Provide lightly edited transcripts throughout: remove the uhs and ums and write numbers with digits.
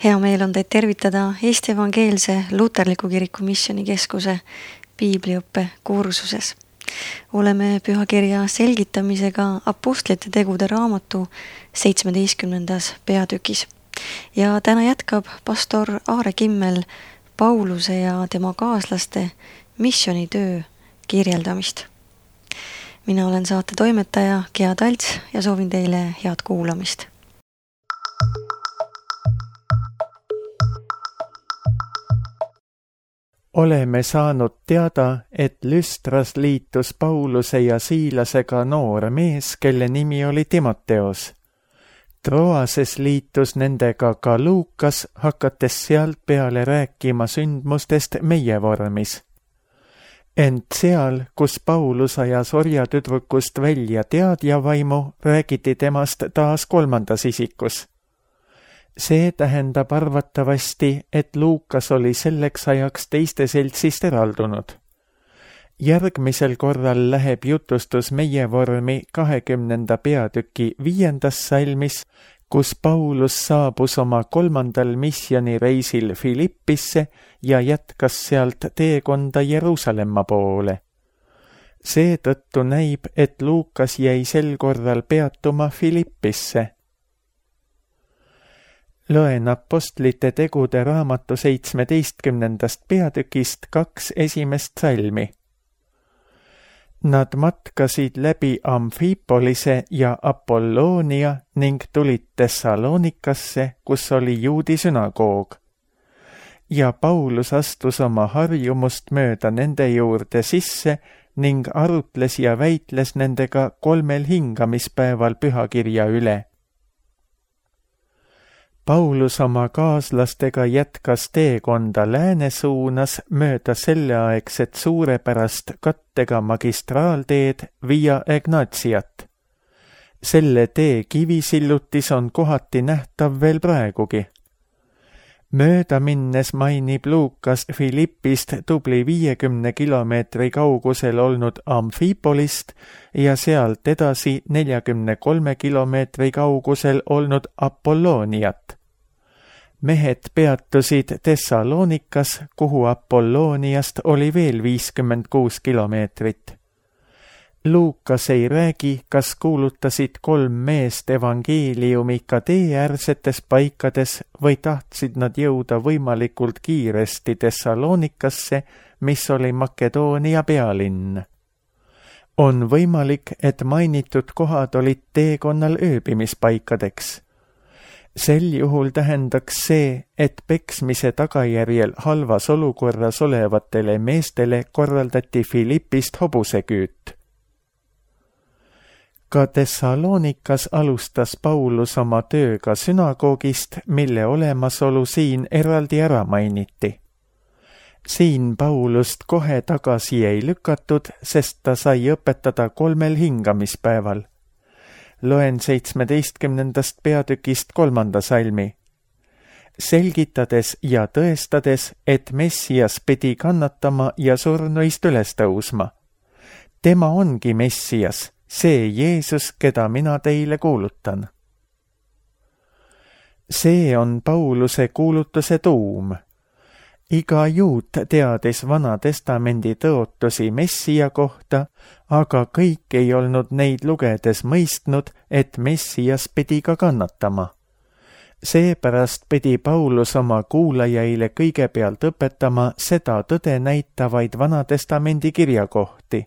Hea meel on teid tervitada Eesti Evangeelse Luterliku Kiriku Missioonikeskuse piibliõppe kursuses. Oleme pühakirja selgitamisega Apostlite tegude raamatu 17. peatükis. Ja täna jätkab pastor Aare Kimmel Pauluse ja tema kaaslaste missioonitöö kirjeldamist. Mina olen saate toimetaja Gea Talts ja soovin teile head kuulamist. Oleme saanud teada, et Lüstras liitus Pauluse ja Siilasega noor mees, kelle nimi oli Timoteos. Troases liitus nendega ka Luukas, hakates sealt peale rääkima sündmustest meie vormis. Ent seal, kus Paulus ajas orjatüdrukust välja teadjavaimu, räägiti temast taas kolmandas isikus. See tähendab arvatavasti, et Luukas oli selleks ajaks teiste seltsist eraldunud. Järgmisel korral läheb jutustus meie vormi 20. peatüki 5. salmis, kus Paulus saabus oma 3. missioonireisil Filippisse ja jätkas sealt teekonda Jeruusalemma poole. Seetõttu näib, et Luukas jäi sel korral peatuma Filippisse. Loen Apostlite tegude raamatu 17. peatükist 2 esimest salmi. Nad matkasid läbi Amfipolise ja Apollonia ning tulid Thessalonikasse, kus oli juudi sünagoog. Ja Paulus astus oma harjumust mööda nende juurde sisse ning arutles ja väitles nendega 3 hingamispäeval pühakirja üle. Paulus oma kaaslastega jätkas teekonda lääne suunas mööda selleaegset suurepärast kattega magistraalteed Via Egnatiat. Selle tee kivisillutis on kohati nähtav veel praegugi. Mööda minnes mainib Luukas Filippist tubli 50 kilomeetri kaugusel olnud Amfipolist ja sealt edasi 43 kilomeetri kaugusel olnud Apolloniat. Mehed peatusid Thessalonikas, kuhu Apolloniast oli veel 56 kilomeetrit. Luukas ei räägi, kas kuulutasid 3 meest evangeeliumi ka teeäärsetes paikades või tahtsid nad jõuda võimalikult kiiresti Thessalonikasse, mis oli Makedoonia pealinn. On võimalik, et mainitud kohad olid teekonnal ööbimispaikadeks. Sel juhul tähendaks see, et peksmise tagajärjel halvas olukorras olevatele meestele korraldati Filippist hobuseküüt. Ka Thessalonikas alustas Paulus oma tööga sünagoogist, mille olemasolu siin eraldi ära mainiti. Siin Paulust kohe tagasi ei lükatud, sest ta sai õpetada 3 hingamispäeval. Loen 17. peatükist 3. salmi. Selgitades ja tõestades, et Messias pidi kannatama ja surnuist üles tõusma. Tema ongi Messias, see Jeesus, keda mina teile kuulutan. See on Pauluse kuulutuse tuum. Iga juut teadis Vana Testamendi tõotusi Messia kohta, aga kõik ei olnud neid lugedes mõistnud, et Messias pidi ka kannatama. Seepärast pidi Paulus oma kuulajaile kõigepealt õpetama seda tõde näitavaid Vana Testamendi kirjakohti.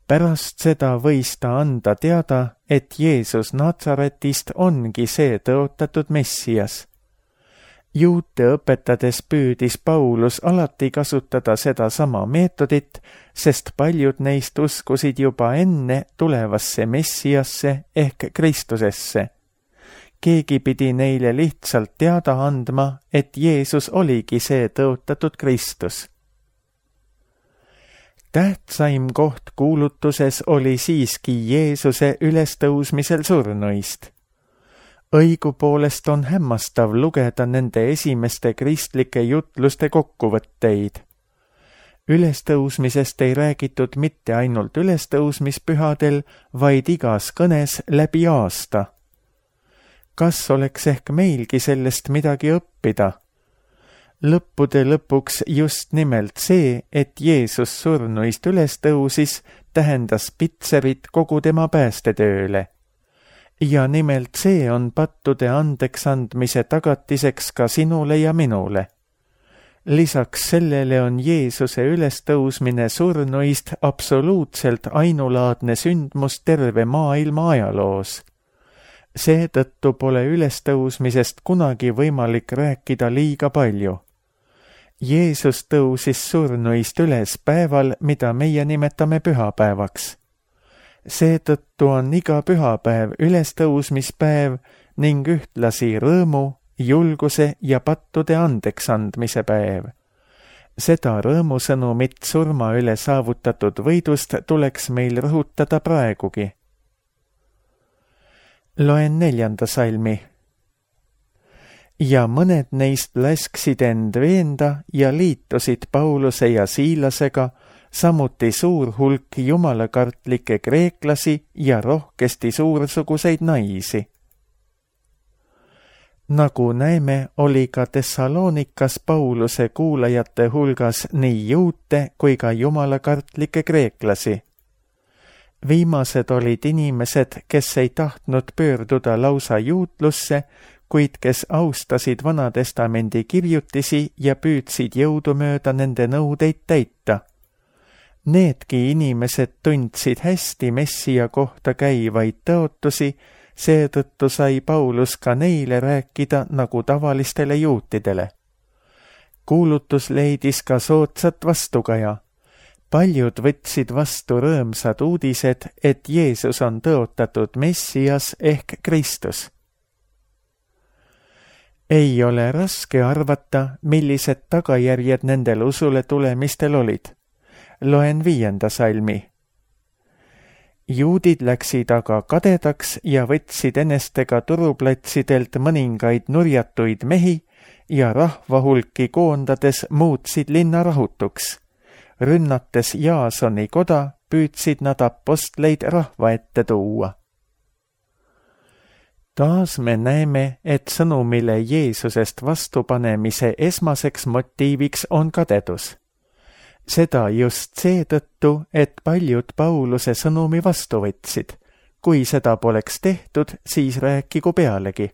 Pärast seda võis ta anda teada, et Jeesus Natsaretist ongi see tõotatud Messias. Juute õpetades püüdis Paulus alati kasutada seda sama meetodit, sest paljud neist uskusid juba enne tulevasse Messiasse ehk Kristusesse. Keegi pidi neile lihtsalt teada andma, et Jeesus oligi see tõotatud Kristus. Tähtsaim koht kuulutuses oli siiski Jeesuse ülestõusmisel surnuist. Õigupoolest on hämmastav lugeda nende esimeste kristlike jutluste kokkuvõtteid. Ülestõusmisest ei räägitud mitte ainult ülestõusmispühadel, vaid igas kõnes läbi aasta. kas oleks ehk meilgi sellest midagi õppida? Lõppude lõpuks just nimelt see, et Jeesus surnuist üles tõusis, tähendas pitserit kogu tema päästetööle. Ja nimelt see on pattude andeks andmise tagatiseks ka sinule ja minule. Lisaks sellele on Jeesuse ülestõusmine surnuist absoluutselt ainulaadne sündmus terve maailma ajaloos. Seetõttu pole ülestõusmisest kunagi võimalik rääkida liiga palju. Jeesus tõusis surnuist üles päeval, mida meie nimetame pühapäevaks. Seetõttu on iga pühapäev ülestõusmispäev ning ühtlasi rõõmu, julguse ja pattude andeksandmise päev. Seda rõõmusõnumit surma üle saavutatud võidust tuleks meil rõhutada praegugi. Loen 4. salmi. Ja mõned neist lasksid end veenda ja liitusid Pauluse ja Siilasega, samuti suur hulk jumalakartlikke kreeklasi ja rohkesti suursuguseid naisi. Nagu näeme, oli ka Thessalonikas Pauluse kuulajate hulgas nii juute kui ka jumalakartlikke kreeklasi. Viimased olid inimesed, kes ei tahtnud pöörduda lausa juutlusse, kuid kes austasid Vanatestamendi kirjutisi ja püüdsid jõudumööda nende nõudeid täita. Needki inimesed tundsid hästi Messia kohta käivaid tõotusi, seetõttu sai Paulus ka neile rääkida nagu tavalistele juutidele. Kuulutus leidis ka soodsat vastukaja. Paljud võtsid vastu rõõmsad uudised, et Jeesus on tõotatud Messias ehk Kristus. Ei ole raske arvata, millised tagajärjed nendel usule tulemistel olid. Loen 5. salmi. Juudid läksid aga kadedaks ja võtsid enestega turuplatsidelt mõningaid nurjatuid mehi ja rahvahulki koondades muutsid linna rahutuks. Rünnates Jaasoni koda, püüdsid nad apostleid rahva ette tuua. Taas me näeme, et sõnumile Jeesusest vastupanemise esmaseks motiiviks on kadedus. Seda just seetõttu, et paljud Pauluse sõnumi vastu võtsid. Kui seda poleks tehtud, siis rääkigu pealegi.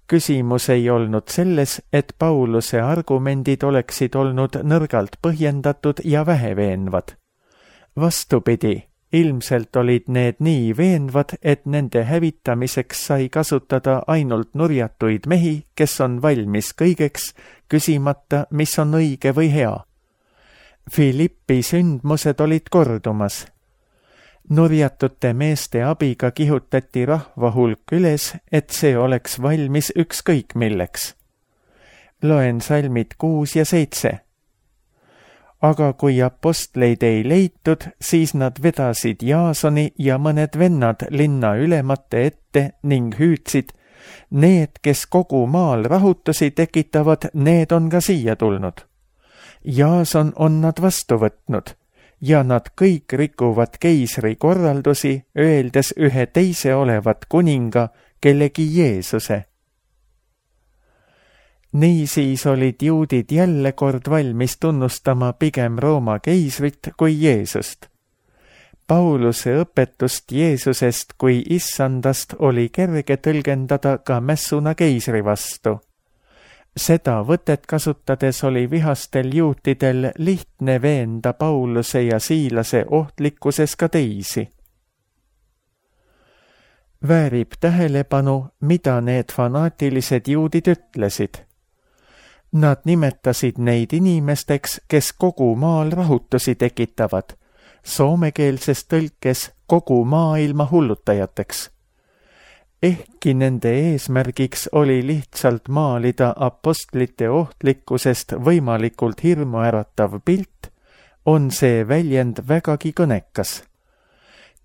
Küsimus ei olnud selles, et Pauluse argumendid oleksid olnud nõrgalt põhjendatud ja väheveenvad. Vastupidi, ilmselt olid need nii veenvad, et nende hävitamiseks sai kasutada ainult nurjatuid mehi, kes on valmis kõigeks, küsimata, mis on õige või hea. Filippi sündmused olid kordumas. Nurjatute meeste abiga kihutati rahvahulk üles, et see oleks valmis ükskõik milleks. Loen salmid 6 ja 7. Aga kui apostleid ei leitud, siis nad vedasid Jaasoni ja mõned vennad linna ülemate ette ning hüüdsid, need, kes kogu maal rahutusi tekitavad, need on ka siia tulnud. Jaason on nad vastu võtnud ja nad kõik rikuvad keisri korraldusi, öeldes ühe teise olevat kuninga, kellegi Jeesuse. Niisiis olid juudid jälle kord valmis tunnustama pigem Rooma keisrit kui Jeesust. Pauluse õpetust Jeesusest kui issandast oli kerge tõlgendada ka mässuna keisri vastu. Seda võtet kasutades oli vihastel juutidel lihtne veenda Pauluse ja Siilase ohtlikkuses ka teisi. Väärib tähelepanu, mida need fanaatilised juudid ütlesid. Nad nimetasid neid inimesteks, kes kogu maal rahutusi tekitavad, soomekeelses tõlkes kogu maailma hullutajateks. Ehkki nende eesmärgiks oli lihtsalt maalida apostlite ohtlikkusest võimalikult hirmuäratav pilt, on see väljend vägagi kõnekas.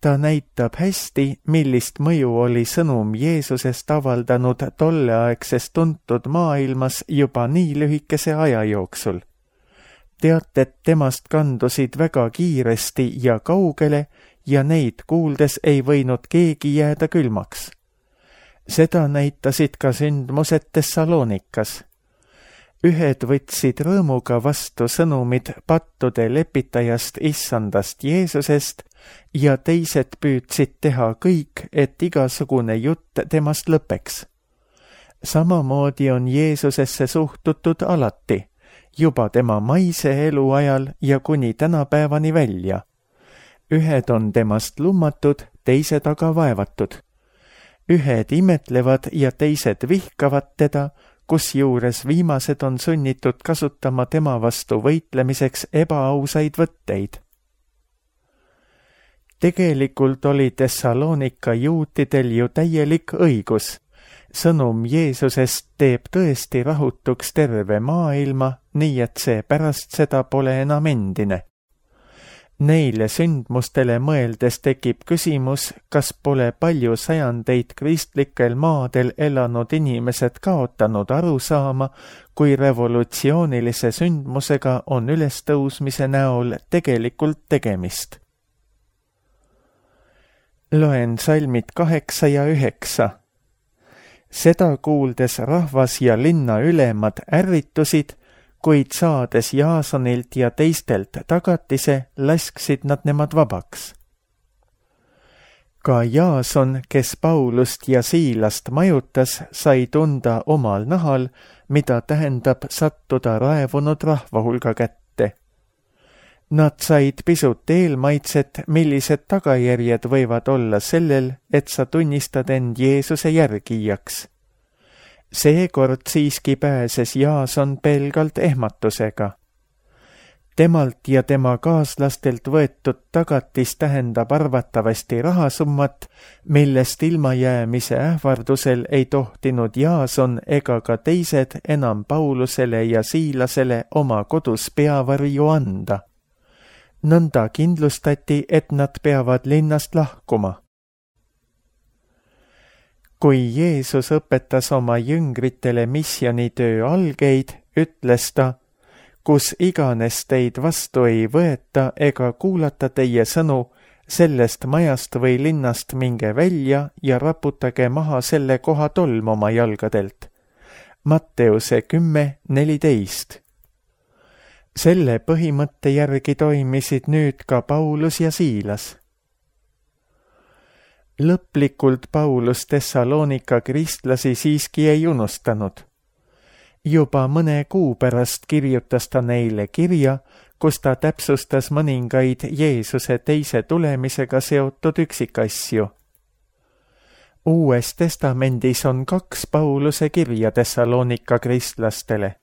Ta näitab hästi, millist mõju oli sõnum Jeesusest avaldanud tolleaegses tuntud maailmas juba nii lühikese aja jooksul. Teated temast kandusid väga kiiresti ja kaugele ja neid kuuldes ei võinud keegi jääda külmaks. Seda näitasid ka sündmused Thessalonikas. Ühed võtsid rõõmuga vastu sõnumid pattude lepitajast Issandast Jeesusest ja teised püüdsid teha kõik, et igasugune jutt temast lõpeks. Samamoodi on Jeesusesse suhtutud alati, juba tema maise elu ajal ja kuni tänapäevani välja. Ühed on temast lummatud, teised aga vaevatud. Ühed imetlevad ja teised vihkavad teda, kusjuures viimased on sunnitud kasutama tema vastu võitlemiseks ebaausaid võtteid. Tegelikult oli Thessalonika juutidel ju täielik õigus. Sõnum Jeesusest teeb tõesti rahutuks terve maailma, nii et see pärast seda pole enam endine. Neile sündmustele mõeldes tekib küsimus, kas pole palju sajandeid kristlikel maadel elanud inimesed kaotanud arusaama, kui revolutsioonilise sündmusega on ülestõusmise näol tegelikult tegemist. Loen salmid 8 ja 9. Seda kuuldes rahvas ja linna ülemad ärritusid, kuid saades Jaasonilt ja teistelt tagatise, lasksid nad nemad vabaks. Ka Jaason, kes Paulust ja Siilast majutas, sai tunda omal nahal, mida tähendab sattuda raevunud rahva hulga kätte. Nad said pisut eelmaitset, millised tagajärjed võivad olla sellel, et sa tunnistad end Jeesuse järgijaks. Seekord siiski pääses Jaason pelgalt ehmatusega. Temalt ja tema kaaslastelt võetud tagatis tähendab arvatavasti rahasummat, millest ilmajäämise ähvardusel ei tohtinud Jaason ega ka teised enam Paulusele ja Siilasele oma kodus peavarju anda. Nõnda kindlustati, et nad peavad linnast lahkuma. Kui Jeesus õpetas oma jüngritele missionitöö algeid, ütles ta, kus iganes teid vastu ei võeta ega kuulata teie sõnu, sellest majast või linnast minge välja ja raputage maha selle koha tolm oma jalgadelt. Matteuse 10:14. Selle põhimõtte järgi toimisid nüüd ka Paulus ja Siilas. Lõplikult Paulus Thessalonika kristlasi siiski ei unustanud. Juba mõne kuu pärast kirjutas ta neile kirja, kus ta täpsustas mõningaid Jeesuse teise tulemisega seotud üksikasju. Uues testamendis on 2 Pauluse kirja Thessalonika kristlastele.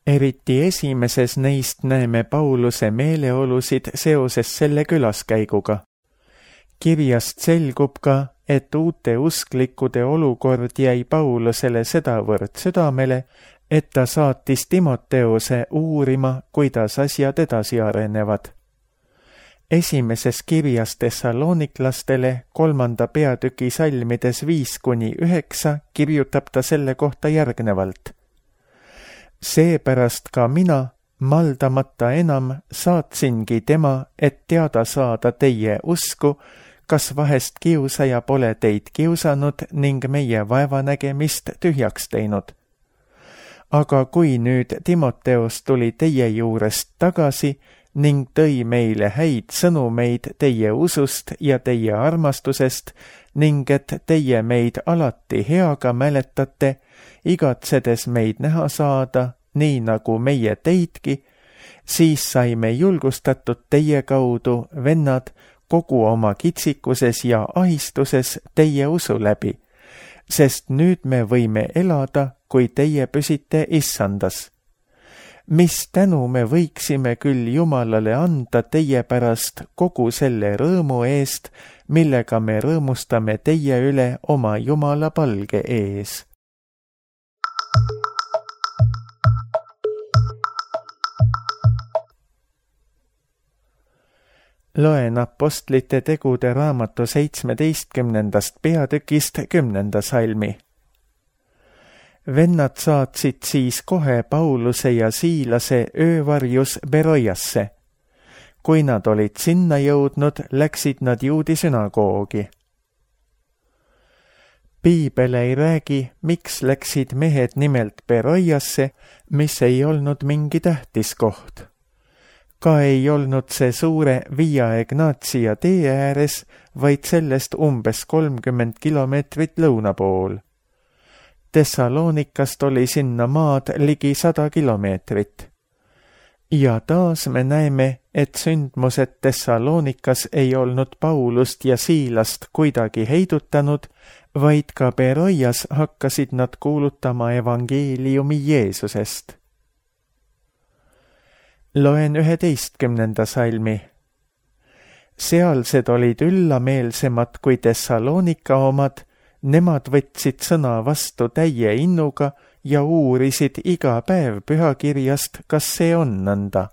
Eriti esimeses neist näeme Pauluse meeleolusid seoses selle külaskäiguga. Kirjast selgub ka, et uute usklikkude olukord jäi Paulusele sedavõrd südamele, et ta saatis Timoteose uurima, kuidas asjad edasi arenevad. Esimeses kirjas Thessaloniklastele 3. peatüki salmides 5-9 kirjutab ta selle kohta järgnevalt. Seepärast ka mina, maldamata enam, saatsingi tema, et teada saada teie usku, kas vahest kiusaja pole teid kiusanud ning meie vaevanägemist tühjaks teinud. Aga kui nüüd Timoteos tuli teie juurest tagasi ning tõi meile häid sõnumeid teie usust ja teie armastusest ning et teie meid alati heaga mäletate, igatsedes meid näha saada, nii nagu meie teidki, siis saime julgustatud teie kaudu, vennad, kogu oma kitsikuses ja ahistuses teie usu läbi, sest nüüd me võime elada, kui teie püsite Issandas. Mis tänu me võiksime küll Jumalale anda teie pärast kogu selle rõõmu eest, millega me rõõmustame teie üle oma Jumala palge ees. Loen Apostlite tegude raamatu 17. peatükist 10. salmi. Vennad saatsid siis kohe Pauluse ja Siilase öövarjus Beroiasse. Kui nad olid sinna jõudnud, läksid nad juudi sünagoogi. Piibel ei räägi, miks läksid mehed nimelt Beroiasse, mis ei olnud mingi tähtis koht. Ka ei olnud see suure Via Egnatia tee ääres, vaid sellest umbes 30 kilomeetrit lõuna pool. Thessalonikast oli sinna maad ligi 100 kilomeetrit. Ja taas me näeme, et sündmused Thessalonikas ei olnud Paulust ja Siilast kuidagi heidutanud, vaid ka Beroias hakkasid nad kuulutama evangeeliumi Jeesusest. Loen 11. salmi. Sealsed olid üllameelsemad kui Thessalonika omad, nemad võtsid sõna vastu täie innuga ja uurisid iga päev pühakirjast, kas see on nõnda.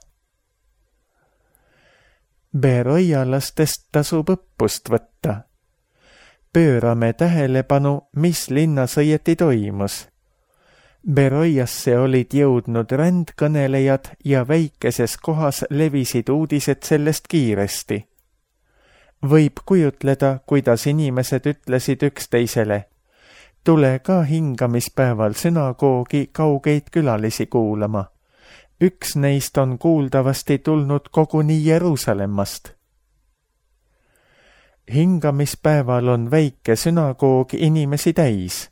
Beroialastest tasub õppust võtta. Pöörame tähelepanu, mis linnas õieti toimus. Beroiasse olid jõudnud rändkõnelejad ja väikeses kohas levisid uudised sellest kiiresti. Võib kujutleda, kuidas inimesed ütlesid üksteisele, tule ka hingamispäeval sünagoogi kaugeid külalisi kuulama. Üks neist on kuuldavasti tulnud koguni Jeruusalemmast. Hingamispäeval on väike sünagoog inimesi täis.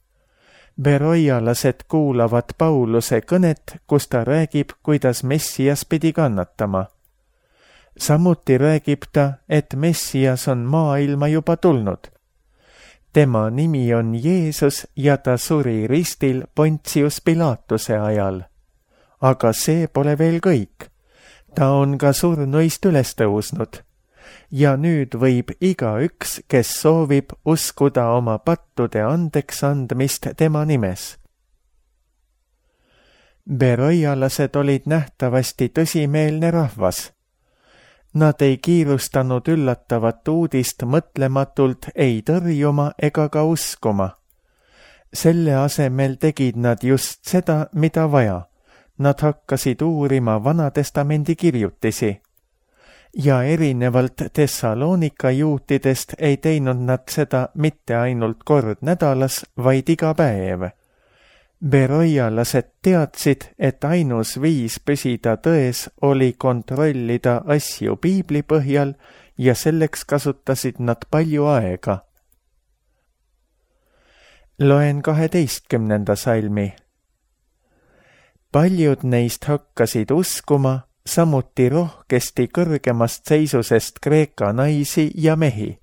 Beroialased kuulavad Pauluse kõnet, kus ta räägib, kuidas Messias pidi kannatama. Samuti räägib ta, et Messias on maailma juba tulnud. Tema nimi on Jeesus ja ta suri ristil Pontius Pilatuse ajal. Aga see pole veel kõik. Ta on ka surnuist üles tõusnud. Ja nüüd võib igaüks, kes soovib, uskuda oma pattude andeks andmist tema nimes. Beroialased olid nähtavasti tõsimeelne rahvas. Nad ei kiirustanud üllatavat uudist mõtlematult ei tõrjuma ega ka uskuma. Selle asemel tegid nad just seda, mida vaja. Nad hakkasid uurima Vanatestamendi kirjutisi. Ja erinevalt Thessalonika juutidest ei teinud nad seda mitte ainult kord nädalas, vaid iga päev. Beroialased teadsid, et ainus viis püsida tões oli kontrollida asju piibli põhjal ja selleks kasutasid nad palju aega. Loen 12. salmi. Paljud neist hakkasid uskuma, samuti rohkesti kõrgemast seisusest Kreeka naisi ja mehi.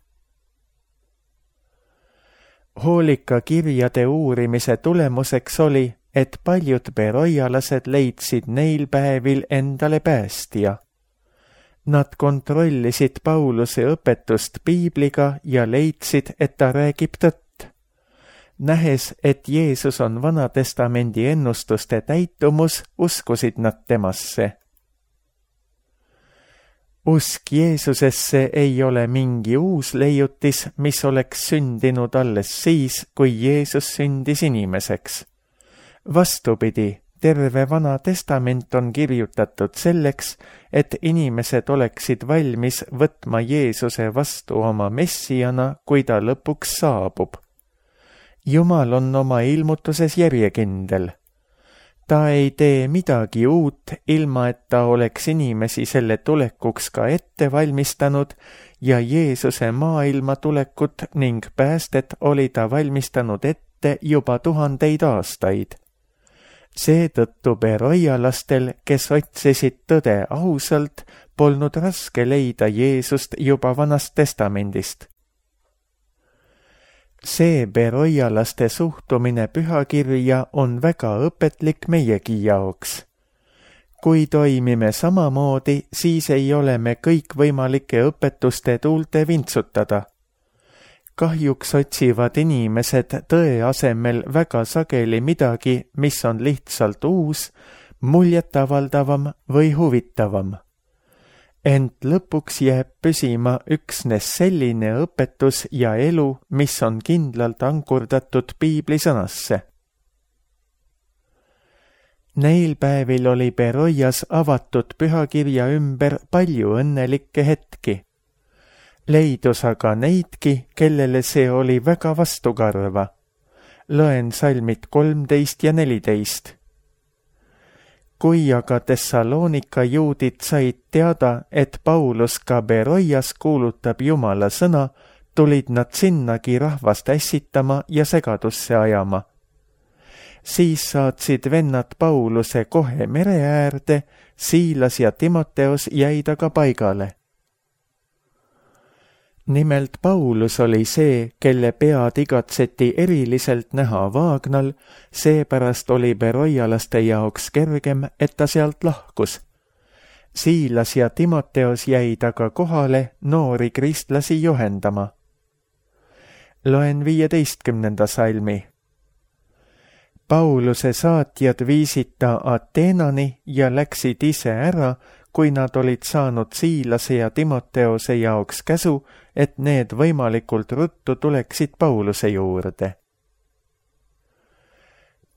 Hoolika kirjade uurimise tulemuseks oli, et paljud beroialased leidsid neil päevil endale päästja. Nad kontrollisid Pauluse õpetust piibliga ja leidsid, et ta räägib tõtt. Nähes, et Jeesus on Vanatestamendi ennustuste täitumus, uskusid nad temasse. Usk Jeesusesse ei ole mingi uus leiutis, mis oleks sündinud alles siis, kui Jeesus sündis inimeseks. Vastupidi, terve Vana Testament on kirjutatud selleks, et inimesed oleksid valmis võtma Jeesuse vastu oma messiana, kui ta lõpuks saabub. Jumal on oma ilmutuses järjekindel. Ta ei tee midagi uut, ilma et ta oleks inimesi selle tulekuks ka ette valmistanud ja Jeesuse maailma tulekut ning päästet oli ta valmistanud ette juba 1000 aastaid. Seetõttu beroialastel, kes otsisid tõde ausalt, polnud raske leida Jeesust juba Vanast Testamendist. See beroialaste suhtumine pühakirja on väga õpetlik meiegi jaoks. Kui toimime samamoodi, siis ei ole me kõikvõimalike õpetuste tuulte vintsutada. Kahjuks otsivad inimesed tõe asemel väga sageli midagi, mis on lihtsalt uus, muljetavaldavam või huvitavam. Ent lõpuks jääb püsima üksnes selline õpetus ja elu, mis on kindlalt ankurdatud piiblisõnasse. Neil päevil oli Beroias avatud pühakirja ümber palju õnnelikke hetki. Leidus aga neidki, kellele see oli väga vastukarva. Loen salmid 13 ja 14. Kui aga Thessalonika juudid said teada, et Paulus ka Beroias kuulutab Jumala sõna, tulid nad sinnagi rahvast ässitama ja segadusse ajama. Siis saatsid vennad Pauluse kohe mere äärde, Siilas ja Timoteos jäid aga paigale. Nimelt Paulus oli see, kelle pead igatseti eriliselt näha Vaagnal, seepärast oli beroialaste jaoks kergem, et ta sealt lahkus. Siilas ja Timoteos jäid aga kohale noori kristlasi juhendama. Loen 15. salmi. Pauluse saatjad viisid ta Ateenani ja läksid ise ära, kui nad olid saanud Siilase ja Timoteose jaoks käsu, et need võimalikult ruttu tuleksid Pauluse juurde.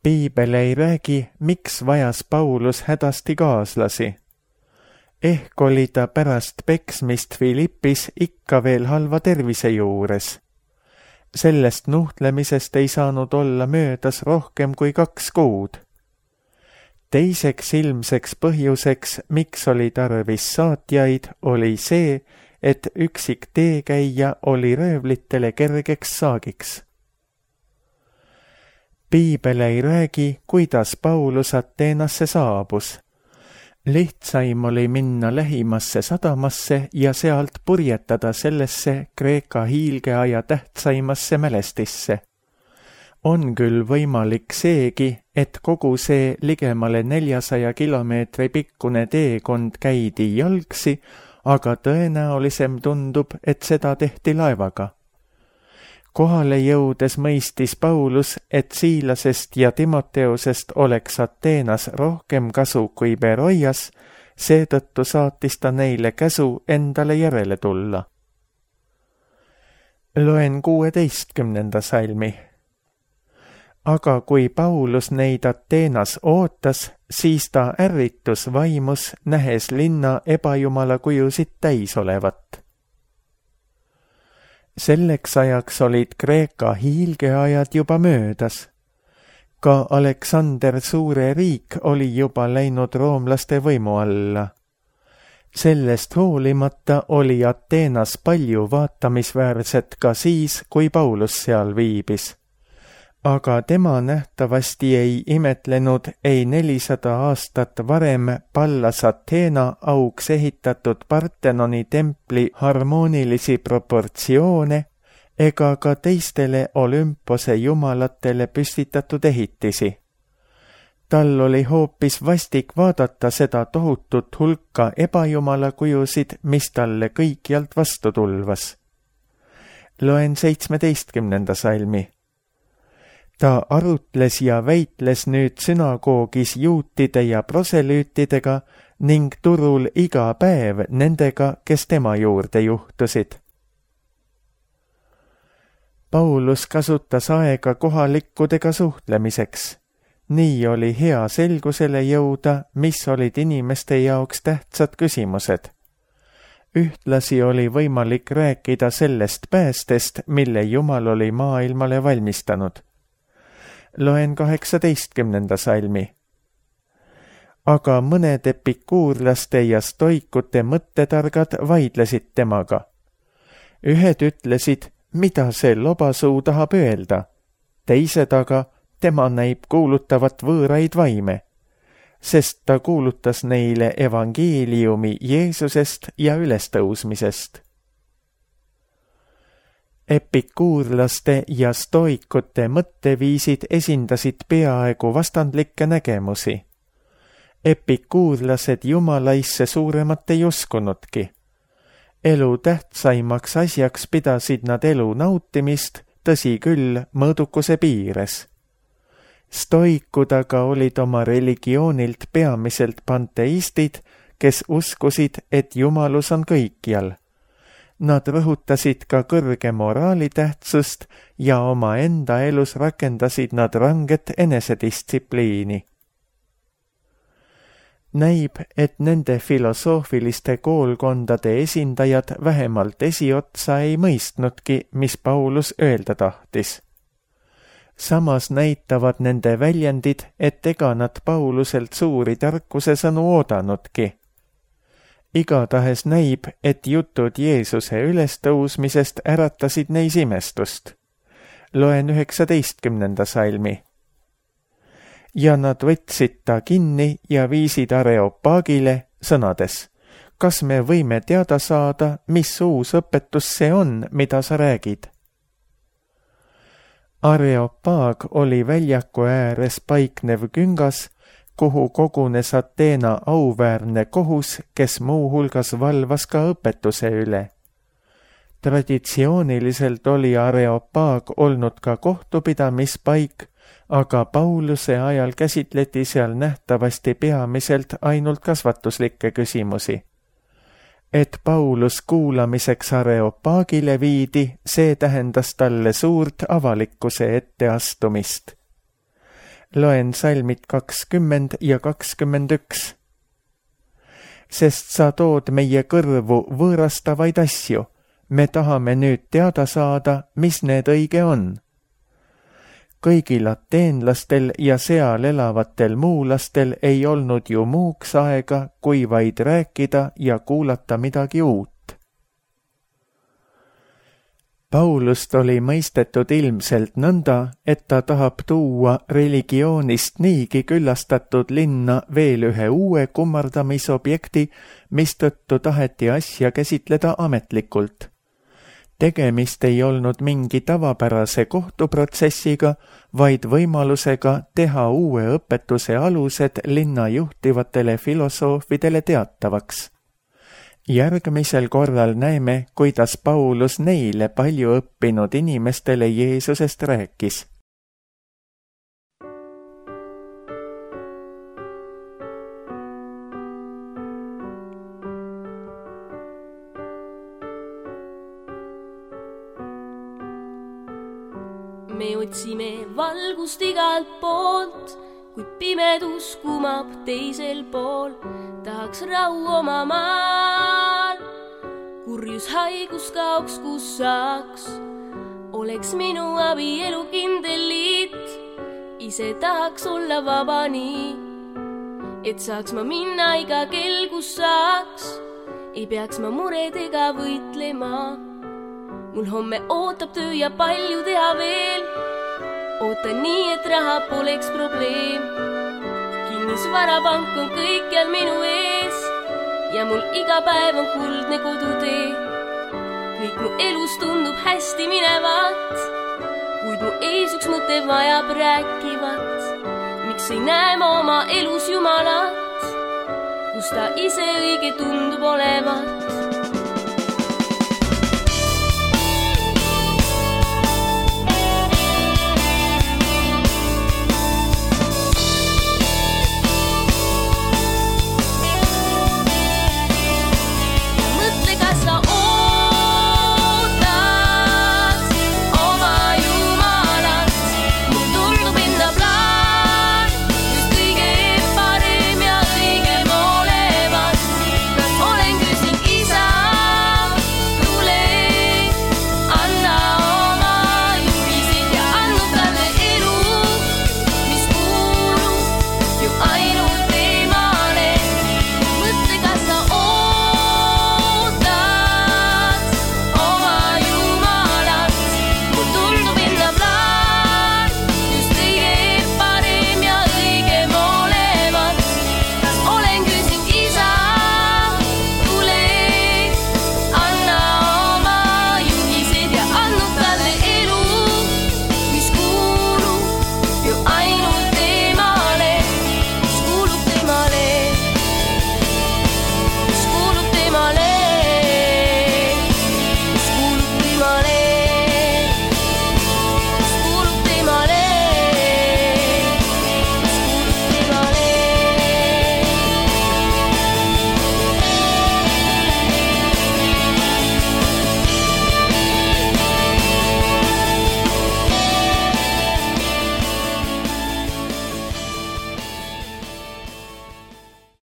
Piibel ei räägi, miks vajas Paulus hädasti kaaslasi. Ehk oli ta pärast peksmist Filippis ikka veel halva tervise juures. Sellest nuhtlemisest ei saanud olla möödas rohkem kui 2 kuud. Teiseks ilmseks põhjuseks, miks oli tarvis saatjaid, oli see, et üksik teekäija oli röövlitele kergeks saagiks. Piibel ei räägi, kuidas Paulus Ateenasse saabus. Lihtsaim oli minna lähimasse sadamasse ja sealt purjetada sellesse Kreeka hiilgeaja tähtsaimasse mälestisse. On küll võimalik seegi, et kogu see ligemale 400 kilomeetri pikkune teekond käidi jalgsi, aga tõenäolisem tundub, et seda tehti laevaga. Kohale jõudes mõistis Paulus, et Siilasest ja Timoteosest oleks Ateenas rohkem kasu kui Beroias, seetõttu saatis ta neile käsu endale järele tulla. Loen 16. salmi. Aga kui Paulus neid Ateenas ootas, siis ta ärritus vaimus, nähes linna ebajumala kujusid täis olevat. Selleks ajaks olid Kreeka hiilgeajad juba möödas. Ka Aleksander suure riik oli juba läinud roomlaste võimu alla. Sellest hoolimata oli Ateenas palju vaatamisväärset ka siis, kui Paulus seal viibis. Aga tema nähtavasti ei imetlenud ei 400 aastat varem Pallas Ateena auks ehitatud Partenoni templi harmoonilisi proportsioone ega ka teistele Olümpose jumalatele püstitatud ehitisi. Tal oli hoopis vastik vaadata seda tohutut hulka ebajumala kujusid, mis talle kõikjalt vastu tulvas. Loen 17. salmi. Ta arutles ja väitles nüüd sünagoogis juutide ja proselüütidega ning turul iga päev nendega, kes tema juurde juhtusid. Paulus kasutas aega kohalikkudega suhtlemiseks. Nii oli hea selgusele jõuda, mis olid inimeste jaoks tähtsad küsimused. Ühtlasi oli võimalik rääkida sellest päästest, mille Jumal oli maailmale valmistanud. Loen 18. salmi. Aga mõned epikuurlaste ja stoikute mõttetargad vaidlesid temaga. Ühed ütlesid, mida see lobasuu tahab öelda. Teised aga, tema näib kuulutavat võõraid vaime, sest ta kuulutas neile evangeeliumi Jeesusest ja ülestõusmisest. Epikuurlaste ja stoikute mõtteviisid esindasid peaaegu vastandlikke nägemusi. Epikuurlased jumalaisse suuremat ei uskunudki. Elu tähtsaimaks asjaks pidasid nad elu nautimist, tõsi küll, mõõdukuse piires. Stoikud aga olid oma religioonilt peamiselt panteistid, kes uskusid, et jumalus on kõikjal. Nad rõhutasid ka kõrge moraali tähtsust ja oma enda elus rakendasid nad ranget enesedistsipliini. Näib, et nende filosoofiliste koolkondade esindajad vähemalt esiotsa ei mõistnudki, mis Paulus öelda tahtis. Samas näitavad nende väljendid, et ega nad Pauluselt suuri tarkuse sõnu oodanudki. Igatahes näib, et jutud Jeesuse ülestõusmisest äratasid neis imestust. Loen 19. salmi. Ja nad võtsid ta kinni ja viisid Areopagile sõnades: kas me võime teada saada, mis uus õpetus see on, mida sa räägid? Areopag oli väljaku ääres paiknev küngas, kuhu kogunes Ateena auväärne kohus, kes muuhulgas valvas ka õpetuse üle. Traditsiooniliselt oli Areopag olnud ka kohtupidamispaik, aga Pauluse ajal käsitleti seal nähtavasti peamiselt ainult kasvatuslikke küsimusi. Et Paulus kuulamiseks Areopagile viidi, see tähendas talle suurt avalikkuse etteastumist. Loen salmid 20 ja 21. Sest sa tood meie kõrvu võõrastavaid asju, me tahame nüüd teada saada, mis need õige on. Kõigil ateenlastel ja seal elavatel muulastel ei olnud ju muuks aega, kui vaid rääkida ja kuulata midagi uut. Paulust oli mõistetud ilmselt nõnda, et ta tahab tuua religioonist niigi küllastatud linna veel ühe uue kummardamisobjekti, mistõttu taheti asja käsitleda ametlikult. Tegemist ei olnud mingi tavapärase kohtuprotsessiga, vaid võimalusega teha uue õpetuse alused linna juhtivatele filosoofidele teatavaks. Järgmisel korral näeme, kuidas Paulus neile palju õppinud inimestele Jeesusest rääkis. Me otsime valgust igalt poolt, kuid pimedus kumab teisel pool. Tahaks rahu oma maal, kurjus haigus kaoks, kus saaks. Oleks minu abielu kindel liit, ise tahaks olla vaba nii, et saaks ma minna iga kell, kus saaks. Ei peaks ma muredega võitlema. Mul homme ootab töö ja palju teha veel. Ootan nii, et raha poleks probleem. Kinnisvarapank on kõikjal minu ees ja mul iga päev on kuldne kodutee. Kõik mu elus tundub hästi minevat, kuid mu ees üks mõte vajab rääkivat. Miks ei näe ma oma elus Jumalat, kus ta ise õige tundub olevat?